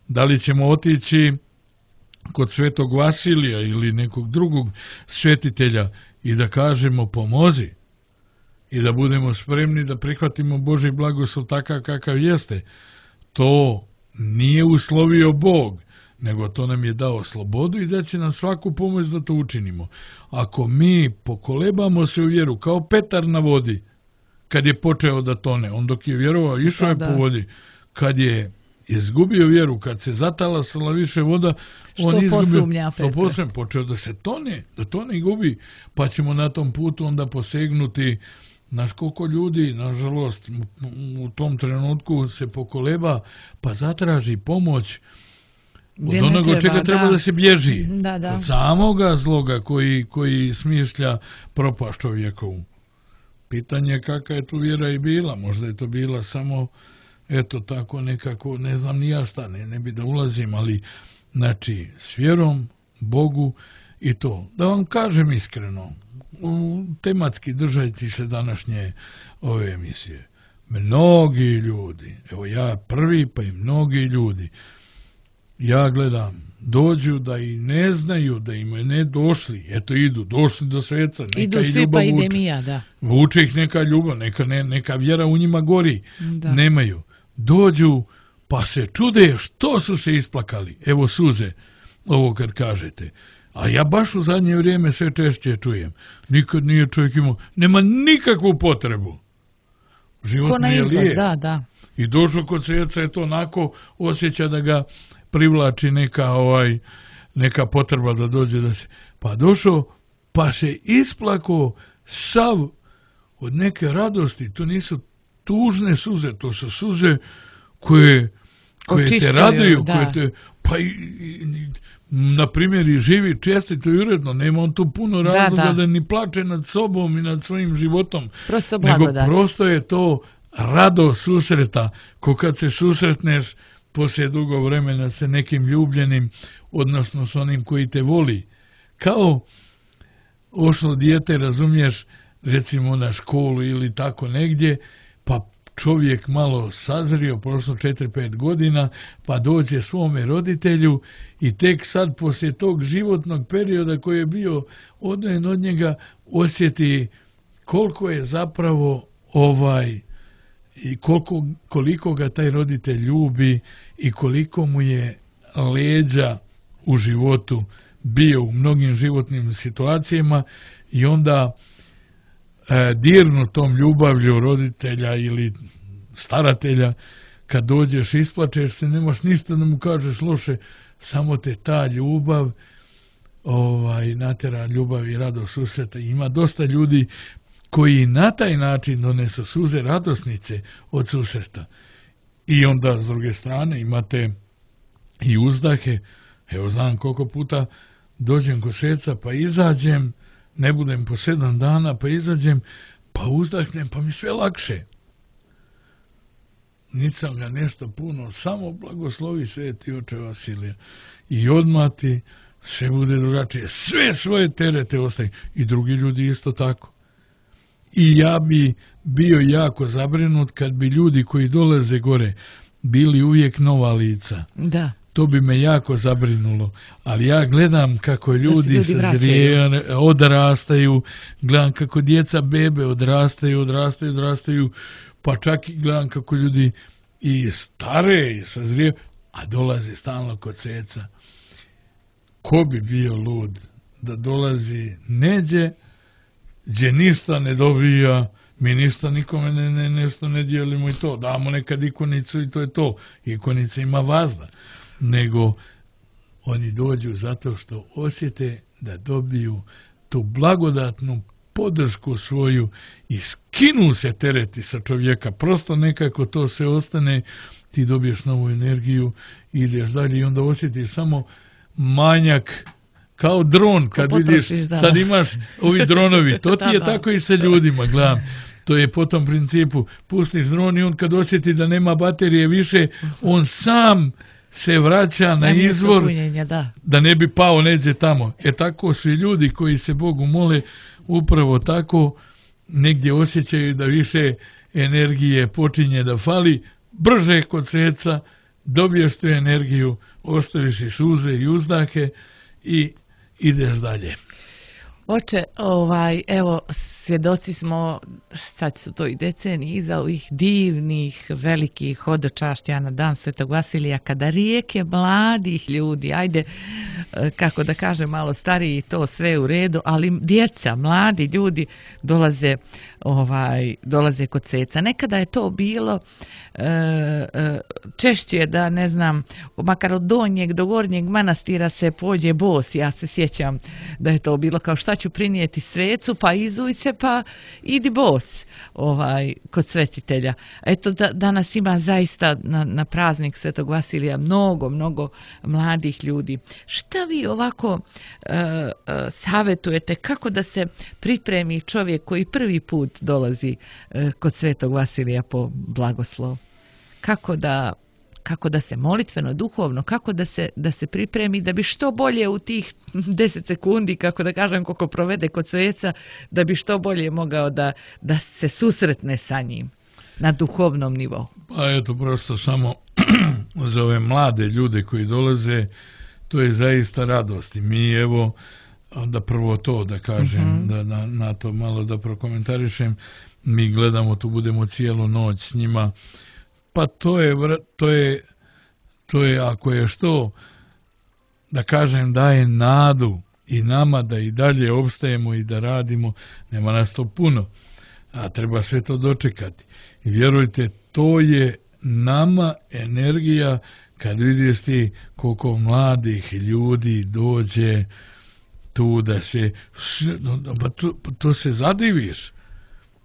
Speaker 3: da li ćemo otići kod svetog Vasilija ili nekog drugog svetitelja i da kažemo pomozi i da budemo spremni da prihvatimo Božji blagoslov takav kakav jeste. To nije uslovio Bog, nego to nam je dao slobodu i da će nam svaku pomoć da to učinimo. Ako mi pokolebamo se u vjeru, kao Petar na vodi, kad je počeo da tone, on dok je vjerovao, išao je po vodi, kad je izgubio vjeru, kad se zatalasala više voda, on
Speaker 2: posumnja Petar?
Speaker 3: Počeo da se tone i gubi, pa ćemo na tom putu onda posegnuti. Znaš koliko ljudi, nažalost, u tom trenutku se pokoleba, pa zatraži pomoć od onoga od čega treba da se bježi.
Speaker 2: Da.
Speaker 3: Od samoga zloga koji smišlja propast čovjekovu. Pitanje je kakva je tu vjera i bila. Možda je to bila samo, eto tako nekako, ne znam ni ja šta, ne bi da ulazim, ali znači s vjerom Bogu i to. Da vam kažem iskreno, tematski držajte se današnje ove emisije. Mnogi ljudi, evo ja prvi, pa i mnogi ljudi, ja gledam, dođu da i ne znaju da im ne došli, eto idu, došli do sveca, neka
Speaker 2: idu
Speaker 3: i
Speaker 2: svi,
Speaker 3: ljubav
Speaker 2: pa
Speaker 3: vuče.
Speaker 2: idem i ja, da.
Speaker 3: Vuče ih neka ljubav, neka vjera u njima gori.
Speaker 2: Da.
Speaker 3: Nemaju. Dođu, pa se čude što su se isplakali. Evo suze, ovo kad kažete. A ja baš u zadnje vrijeme sve češće čujem. Nikad nije čovjek imao, nema nikakvu potrebu. Život
Speaker 2: Ko na
Speaker 3: mu je
Speaker 2: izlaz,
Speaker 3: lijep.
Speaker 2: da.
Speaker 3: I došao kod sveca je to onako osjeća da ga privlači neka potreba da dođe da se... Pa došao, pa se isplako sav od neke radosti. To nisu tužne suze, to su suze koje te raduju,
Speaker 2: da.
Speaker 3: koje te... Pa na primjer i živi čestito i uredno, nema on tu puno razloga da ni plače nad sobom i nad svojim životom.
Speaker 2: Prosto
Speaker 3: nego
Speaker 2: blagodat.
Speaker 3: prosto je to rado susreta, ko kad se susretneš poslije dugo vremena sa nekim ljubljenim, odnosno s onim koji te voli. Kao ošlo dijete, razumiješ, recimo na školu ili tako negdje, pa čovjek malo sazrio, prošlo 4-5 godina, pa dođe svome roditelju i tek sad poslije tog životnog perioda koji je bio odvojen od njega osjeti koliko je zapravo i koliko ga taj roditelj ljubi i koliko mu je leđa u životu bio u mnogim životnim situacijama i onda dirnu tom ljubavlju roditelja ili staratelja, kad dođeš isplačeš se, nemaš ništa da mu kažeš loše, samo te ta ljubav natera ljubav i radost susreta. Ima dosta ljudi koji na taj način donesu suze radosnice od susreta. I onda s druge strane imate i uzdahe. Evo znam koliko puta dođem kod šeca pa izađem, ne budem po 7 dana pa izađem, pa uzdahnem pa mi sve lakše. Nisam ga nešto puno, samo blagoslovi sveti oče Vasilija. I odmah ti sve bude drugačije. Sve svoje terete ostaje. I drugi ljudi isto tako. I ja bi bio jako zabrinut kad bi ljudi koji dolaze gore bili uvijek nova lica.
Speaker 2: Da.
Speaker 3: To bi me jako zabrinulo. Ali ja gledam kako ljudi odrastaju, gledam kako djeca bebe odrastaju, pa čak i gledam kako ljudi i stare i sazrije, a dolaze stalno kod sveca. Ko bi bio lud da dolazi neđe, gdje ništa ne dobija, mi ništa nikome nešto ne dijelimo i to, damo nekad ikonicu i to je to, ikonica ima vazda, nego oni dođu zato što osjete da dobiju tu blagodatnu podršku svoju i skinu se tereti sa čovjeka, prosto nekako to se ostane, ti dobiješ novu energiju, ideš dalje i onda osjetiš samo manjak, kao dron, kad vidiš, sad imaš ovi dronovi, to ti je tako i sa ljudima, gledam. To je po tom principu, pustiš dron i on kad osjeti da nema baterije više, on sam se vraća na izvor, da ne bi pao neđe tamo. Tako su i ljudi koji se Bogu mole, upravo tako negdje osjećaju da više energije počinje da fali, brže kod sveca dobiješ tu energiju, ostaviš i suze i uzdahe i ideš dalje.
Speaker 2: Oče, evo, svjedoci smo, sad su to i decenije iza ovih divnih, velikih hodočašća na dan Svetog Vasilija, kada rijeke mladih ljudi, ajde, kako da kažem, malo stariji, to sve u redu, ali djeca, mladi ljudi dolaze kod sveca. Nekada je to bilo češće da, ne znam, makar od donjeg do gornjeg manastira se pođe bos. Ja se sjećam da je to bilo kao šta ću prinijeti svecu, pa izuj se, pa idi bos kod svetitelja. Eto, danas ima zaista na praznik Svetog Vasilija mnogo mladih ljudi. Šta vi ovako savjetujete, kako da se pripremi čovjek koji prvi put dolazi kod Svetog Vasilija po blagoslov? kako da se molitveno, duhovno, kako da se pripremi, da bi što bolje u tih 10 sekundi, kako da kažem, koliko provede kod sveca, da bi što bolje mogao da se susretne sa njim na duhovnom nivou.
Speaker 3: Pa eto, prosto samo za ove mlade ljude koji dolaze, to je zaista radost. I mi, evo, da prvo to da kažem, da na to malo da prokomentarišem, mi gledamo, tu budemo cijelu noć s njima, pa to je ako je što, da kažem, daje nadu i nama da i dalje opstajemo i da radimo, nema nas to puno, a treba sve to dočekati. I vjerujte, to je nama energija kad vidiš ti koliko mladih ljudi dođe tu da se, to se zadiviš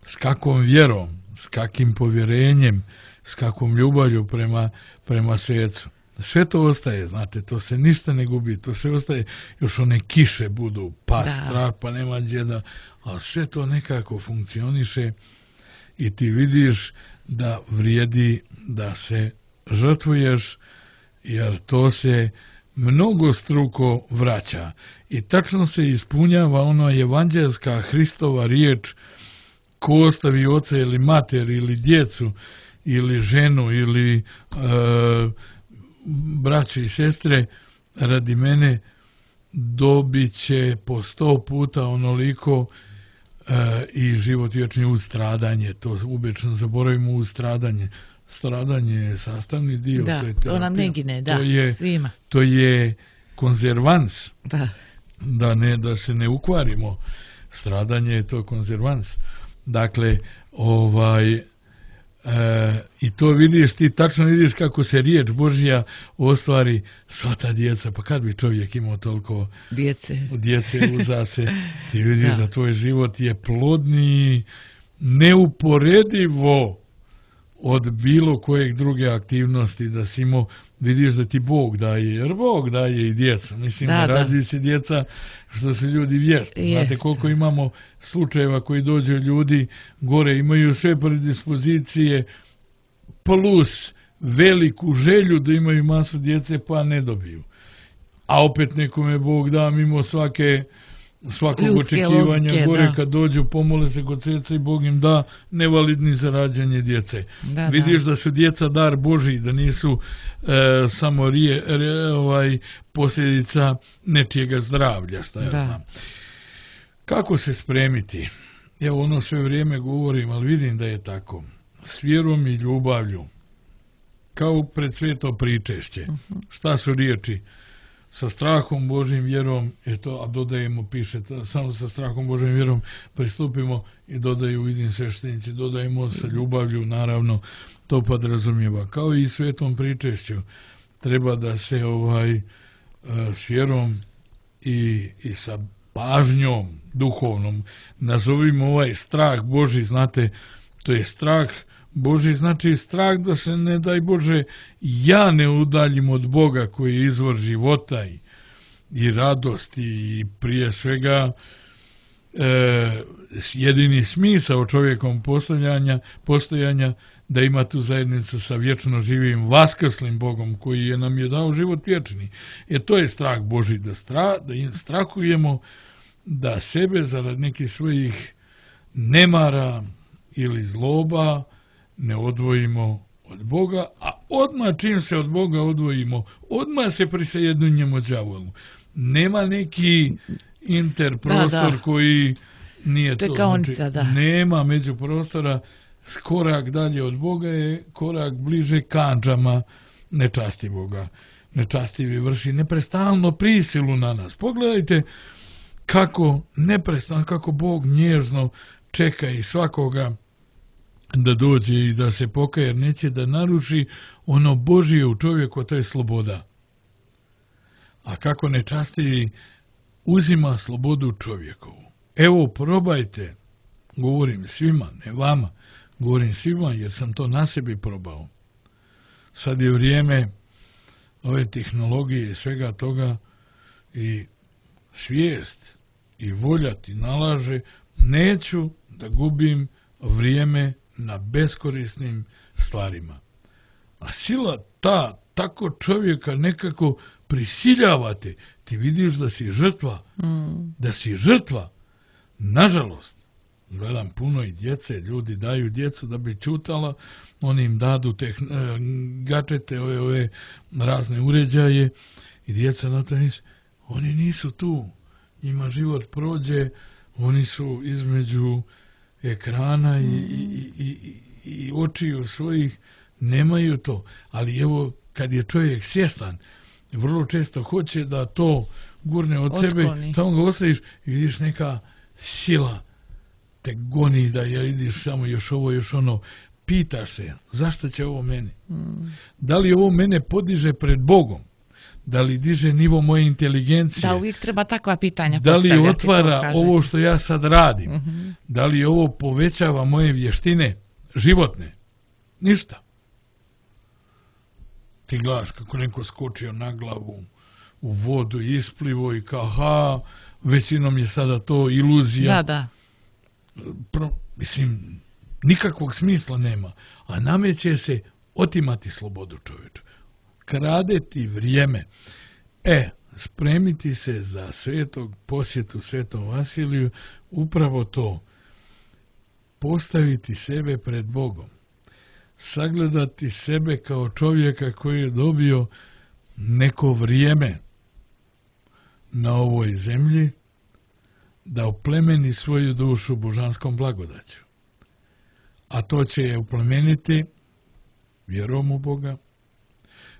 Speaker 3: s kakvom vjerom, s kakvim povjerenjem, s kakvom ljubavlju prema svecu. Sve to ostaje, znate, to se ništa ne gubi, to sve ostaje, još one kiše budu, strah, pa nema gdje da, ali sve to nekako funkcioniše i ti vidiš da vrijedi da se žrtvuješ, jer to se mnogo struko vraća i tačno se ispunjava ona evanđelska Hristova riječ: ko ostavi oca ili mater ili djecu ili ženu ili braću i sestre radi mene, dobit će po 100 puta onoliko i život vječni uz stradanje. To obično zaboravimo, uz stradanje. Stradanje je sastavni dio.
Speaker 2: Da, to nam ne gine, da, svima.
Speaker 3: To je konzervans.
Speaker 2: Da.
Speaker 3: Da se ne ukvarimo. Stradanje je to konzervans. Dakle, i to vidiš, ti tačno vidiš kako se riječ Božja ostvari, sva ta djeca, pa kad bi čovjek imao toliko djece uza se, ti vidiš da tvoj život je plodniji neuporedivo od bilo kojeg druge aktivnosti, da si imao, vidiš da ti Bog daje, jer Bog daje i djecu. Mislim, da rađuju se djeca što su ljudi vješti. Znate koliko imamo slučajeva koji dođu ljudi gore, imaju sve predispozicije plus veliku želju da imaju masu djece, pa ne dobiju. A opet nekome Bog da mimo svakog očekivanja gore, kad dođu, pomole se kod sveca i Bog im da nevalidni za rađanje djece. Vidiš da su djeca dar Božji, da nisu samo posljedica nečijega zdravlja, šta ja znam. Kako se spremiti? Evo, ono sve vrijeme govorim, ali vidim da je tako. S vjerom i ljubavlju, kao pred sveto pričešće. Šta su riječi? Sa strahom Božjim vjerom, a dodajemo, piše, samo sa strahom Božjim vjerom pristupimo, i dodaju, vidim sveštenici, dodajemo sa ljubavlju, naravno, to podrazumijeva. Kao i svetom pričešću, treba da se s vjerom i sa pažnjom duhovnom, nazovimo ovaj strah Božji, znate, to je strah Božji, znači strah da se, ne daj Bože, ja ne udaljim od Boga koji je izvor života i radosti i prije svega jedini smisao čovjekom postojanja, da ima tu zajednicu sa vječno živim vaskrslim Bogom koji nam je dao život vječni. To je strah Božji, da strahujemo da sebe zarad nekih svojih nemara ili zloba ne odvojimo od Boga, a odmah čim se od Boga odvojimo, odmah se prisajedinjemo đavolu. Nema neki interprostor koji nije to. Znači, nema međuprostora, korak dalje od Boga je korak bliže kandžama nečastivoga. Nečastivi vrši neprestalno prisilu na nas. Pogledajte kako Bog nježno čeka i svakoga da dođe i da se pokaje, jer neće da naruši ono Božje u čovjeku, to je sloboda. A kako nečastivi uzima slobodu čovjekovu. Evo, probajte, govorim svima, ne vama, govorim svima jer sam to na sebi probao. Sad je vrijeme ove tehnologije i svega toga i svijest i volja ti nalaže, neću da gubim vrijeme na beskorisnim stvarima. A sila ta, tako čovjeka nekako prisiljavate. Ti vidiš da si žrtva. Da si žrtva. Nažalost, gledam puno i djece, ljudi daju djecu da bi čutala, oni im dadu gačete, ove razne uređaje i djeca na to nisu. Oni nisu tu. Njima život prođe, oni su između ekrana i očiju svojih, nemaju to. Ali evo, kad je čovjek svjestan, vrlo često hoće da to gurne od sebe, tamo ga ostaviš i vidiš neka sila te goni da vidiš samo još ovo, još ono. Pitaš se, zašto će ovo meni? Da li ovo mene podiže pred Bogom? Da li diže nivo moje inteligencije?
Speaker 2: Da, uvijek treba takva pitanja
Speaker 3: da
Speaker 2: postavljati.
Speaker 3: Da li otvara ovo što ja sad radim? Da li ovo povećava moje vještine životne? Ništa. Ti gledaš kako neko skočio na glavu u vodu, isplivo i kao, većinom je sada to iluzija.
Speaker 2: Da.
Speaker 3: Mislim, nikakvog smisla nema. A nameće se otimati slobodu čovječu. Kradeti vrijeme. Spremiti se za posjetu Svetom Vasiliju, upravo to. Postaviti sebe pred Bogom. Sagledati sebe kao čovjeka koji je dobio neko vrijeme na ovoj zemlji, da oplemeni svoju dušu božanskom blagodaću. A to će je oplemeniti vjerom u Boga,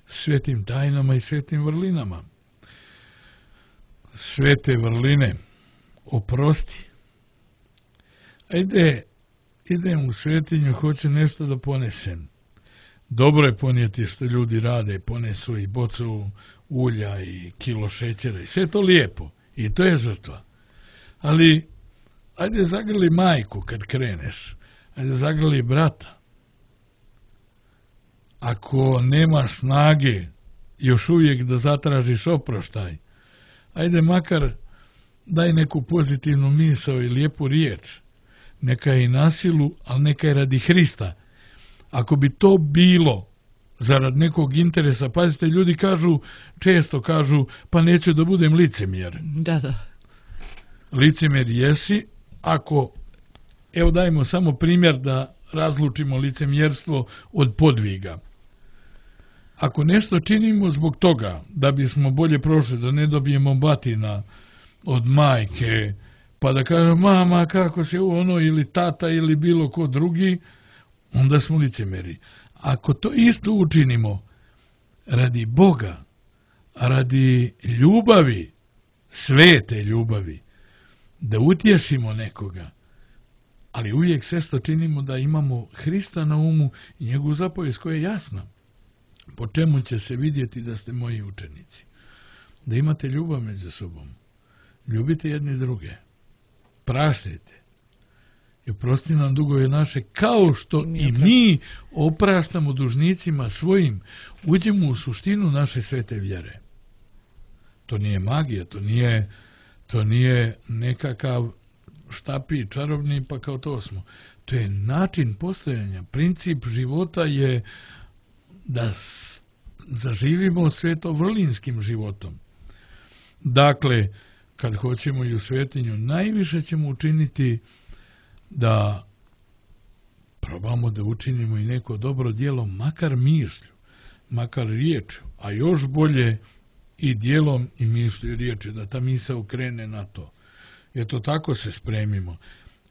Speaker 3: svetim tajnama i svetim vrlinama. Svete vrline, oprosti. Idem u svetinju, hoću nešto da ponesem. Dobro je ponijeti što ljudi rade, ponesu i bocu ulja i kilo šećera i sve to lijepo. I to je žrtva. Ali, ajde zagrli majku kad kreneš. Ajde zagrli brata. Ako nemaš snage još uvijek da zatražiš oproštaj, ajde makar daj neku pozitivnu misao i lijepu riječ. Neka je i na silu, ali neka je radi Hrista. Ako bi to bilo zarad nekog interesa, pazite, ljudi često kažu, pa neću da budem licemjer.
Speaker 2: Da.
Speaker 3: Licemjer jesi, ako, evo dajmo samo primjer da razlučimo licemjerstvo od podviga. Ako nešto činimo zbog toga, da bismo bolje prošli, da ne dobijemo batina od majke, pa da kažem, mama, kako se ono, ili tata, ili bilo ko drugi, onda smo licemjeri. Ako to isto učinimo radi Boga, radi ljubavi, svete ljubavi, da utješimo nekoga, ali uvijek sve što činimo da imamo Hrista na umu i njegovu zapovijest koja je jasna. Po čemu će se vidjeti da ste moji učenici? Da imate ljubav među sobom. Ljubite jedni druge. Praštajte. I oprosti nam dugove naše, kao što i mi opraštamo dužnicima svojim. Uđemo u suštinu naše svete vjere. To nije magija, to nije nekakav štapi čarobni, pa kao to smo. To je način postojanja. Princip života je da zaživimo svetovrlinskim životom. Dakle, kad hoćemo i u svetinju, najviše ćemo učiniti da probamo da učinimo i neko dobro djelo, makar mišlju, makar riječju, a još bolje i djelom i mišlju i riječju, da ta misao krene na to. Eto, tako se spremimo.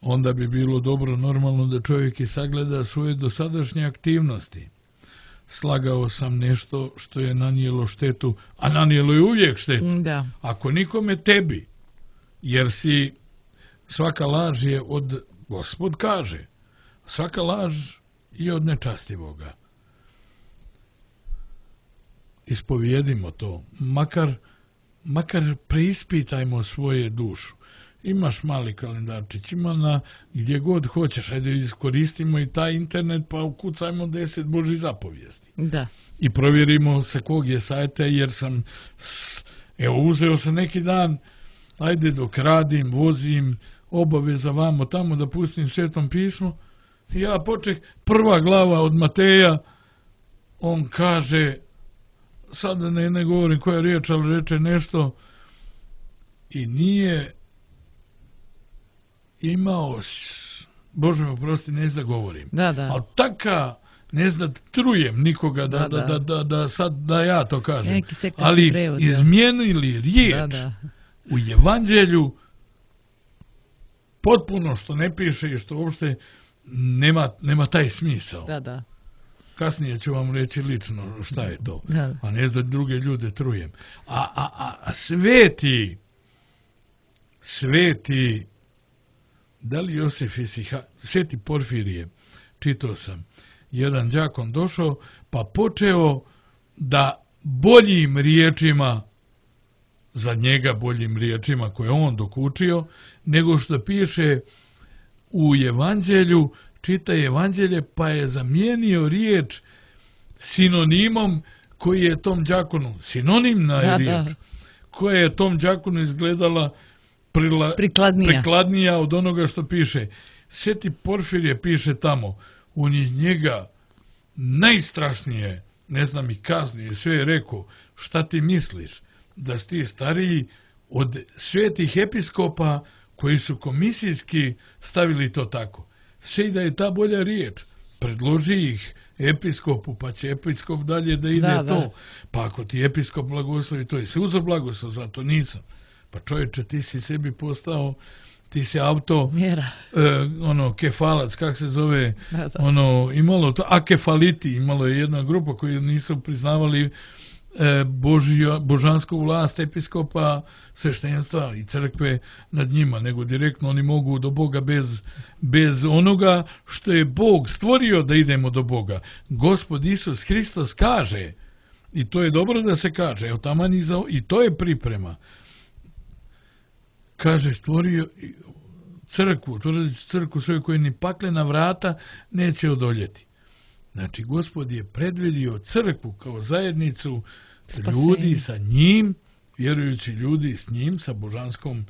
Speaker 3: Onda bi bilo dobro normalno da čovjek i sagleda svoje dosadašnje aktivnosti. Slagao sam nešto što je nanijelo štetu, a nanijelo je uvijek štetu.
Speaker 2: Da.
Speaker 3: Ako nikome, tebi, jer si, svaka laž je od, Gospod kaže, svaka laž je od nečastivoga. Ispovijedimo to, makar preispitajmo svoje dušu. Imaš mali kalendarčić, ima gdje god hoćeš, ajde iskoristimo i taj internet pa ukucajmo 10 Božjih zapovijesti.
Speaker 2: Da.
Speaker 3: I provjerimo sa kog je sajta, jer sam, uzeo sam neki dan, ajde dok radim, vozim, obaveza vamo tamo da pustim Svetom pismu, i ja počeh, prva glava od Mateja, on kaže, sad ne govorim koja riječ, ali reče nešto i nije imao, Bože me oprosti, ne znam da govorim.
Speaker 2: Da.
Speaker 3: Ali taka, ne znam da trujem nikoga da sad da ja to kažem. Ali
Speaker 2: prevod,
Speaker 3: izmijenili riječ u evanđelju potpuno što ne piše i što uopšte nema taj smisao.
Speaker 2: Da.
Speaker 3: Kasnije ću vam reći lično šta je to. A ne da druge ljude trujem. A sveti da li Josif Sveti Porfirije, čitao sam, jedan đakon došao pa počeo da boljim riječima, za njega boljim riječima koje on dokučio, nego što piše u evanđelju, čita evanđelje pa je zamijenio riječ sinonimom koji je tom đakonu, sinonimna riječ, koja je tom đakonu izgledala prikladnija od onoga što piše. Sveti Porfirije piše tamo, on je njega najstrašnije, ne znam i kaznije, sve je rekao, šta ti misliš, da si ti stariji od svetih episkopa koji su komisijski stavili to tako. Sve da je ta bolja riječ, predloži ih episkopu, pa će episkop dalje da ide to. Pa ako ti episkop blagoslovi, to je se uzor blagoslov, zato nisam. Pa čovječe, ti si sebi postao, ti si auto, kefalac, kak se zove, imalo to, akefaliti, imalo je jedna grupa koji nisu priznavali božansku vlast episkopa, sveštenstva i crkve nad njima, nego direktno oni mogu do Boga bez onoga što je Bog stvorio da idemo do Boga. Gospod Isus Hristos kaže, i to je dobro da se kaže, evo taman i to je priprema, kaže stvorio crkvu svoju koju ni paklena vrata neće odoljeti. Znači, Gospod je predvidio crkvu kao zajednicu ljudi sa njim, vjerujući ljudi s njim, sa božanskom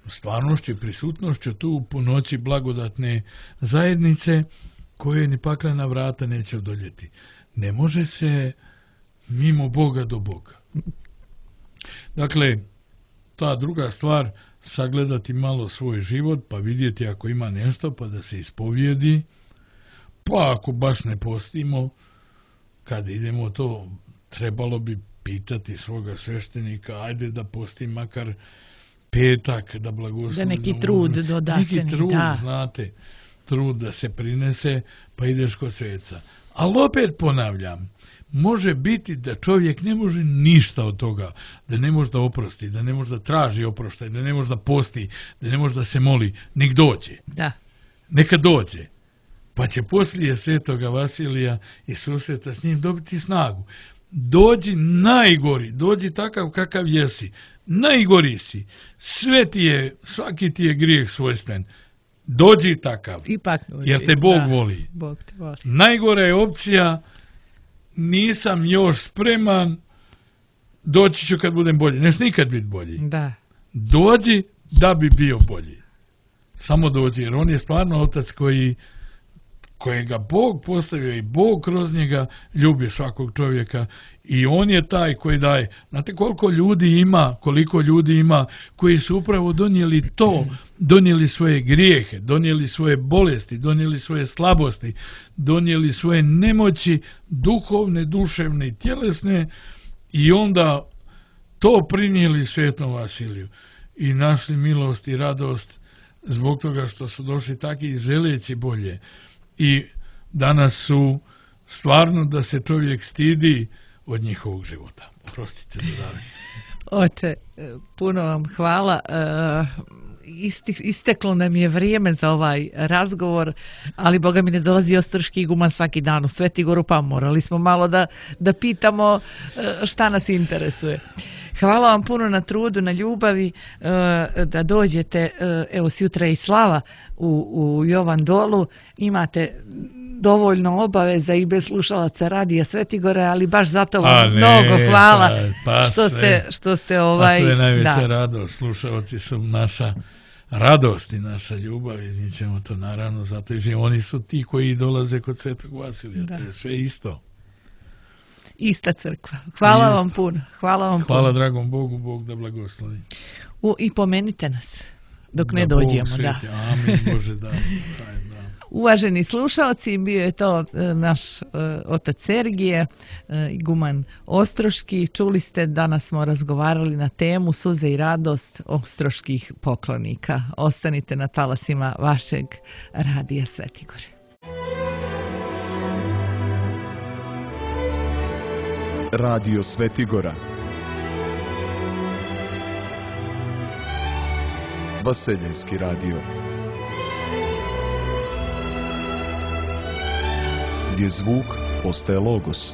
Speaker 3: stvarnošću i prisutnošću tu po noći blagodatne zajednice koje ni paklena vrata neće odoljeti. Ne može se mimo Boga do Boga. Dakle, ta druga stvar, sagledati malo svoj život, pa vidjeti ako ima nešto, pa da se ispovijedi, pa ako baš ne postimo, kad idemo to, trebalo bi pitati svoga sveštenika, ajde da postim makar petak, da blagoslovimo.
Speaker 2: Da neki trud dodatni.
Speaker 3: Neki trud, znate, trud da se prinese, pa ideš kod sveca. Ali opet ponavljam, može biti da čovjek ne može ništa od toga, da ne može da oprosti, da ne može da traži oproštaj, da ne može da posti, da ne može da se moli, nek dođe.
Speaker 2: Da.
Speaker 3: Neka dođe. Pa će poslije svetoga Vasilija i susreta s njim dobiti snagu. Dođi najgori, dođi takav kakav jesi, najgori si, svaki ti je grijeh svojstven, dođi takav, jer te Bog voli.
Speaker 2: Bog te voli.
Speaker 3: Najgora je opcija, nisam još spreman, doći ću kad budem bolji, neš nikad biti bolji.
Speaker 2: Da.
Speaker 3: Dođi da bi bio bolji. Samo dođi, jer on je stvarno otac kojega Bog postavio i Bog kroz njega ljubi svakog čovjeka i on je taj koji daje. Znate koliko ljudi ima koji su upravo donijeli to, donijeli svoje grijehe, donijeli svoje bolesti, donijeli svoje slabosti, donijeli svoje nemoći, duhovne, duševne i tjelesne i onda to prinijeli svetom Vasiliju i našli milost i radost zbog toga što su došli taki želeći bolje. I danas su stvarno da se čovjek stidi od njihovog života. Oprostite za davanje.
Speaker 2: Oče, puno vam hvala. Isteklo nam je vrijeme za ovaj razgovor, ali Boga mi ne dolazi Ostroški iguman svaki dan u Svetigoru, pa morali smo malo da pitamo šta nas interesuje. Hvala vam puno na trudu, na ljubavi, da dođete, evo sjutra i slava u Jovan Dolu, imate dovoljno obaveza i bez slušalaca radija Svetigore, ali baš zato vam mnogo hvala što ste
Speaker 3: to je najveća radost, slušalci su naša radost i naša ljubav i mi ćemo to naravno zato i oni su ti koji dolaze kod Svetog Vasilija, to je sve isto.
Speaker 2: Ista crkva. Hvala vam puno.
Speaker 3: Hvala dragom Bogu, Bog da blagoslovi.
Speaker 2: I pomenite nas dok ne dođemo.
Speaker 3: Da. Amin, Bože, da.
Speaker 2: Uvaženi slušalci, bio je to naš otac Sergije, iguman Ostroški. Čuli ste, danas smo razgovarali na temu Suze i radost ostroških poklonika. Ostanite na talasima vašeg radija Svetigore.
Speaker 4: Radio Svetigora, Vaseljenski radio, gdje zvuk postaje logos.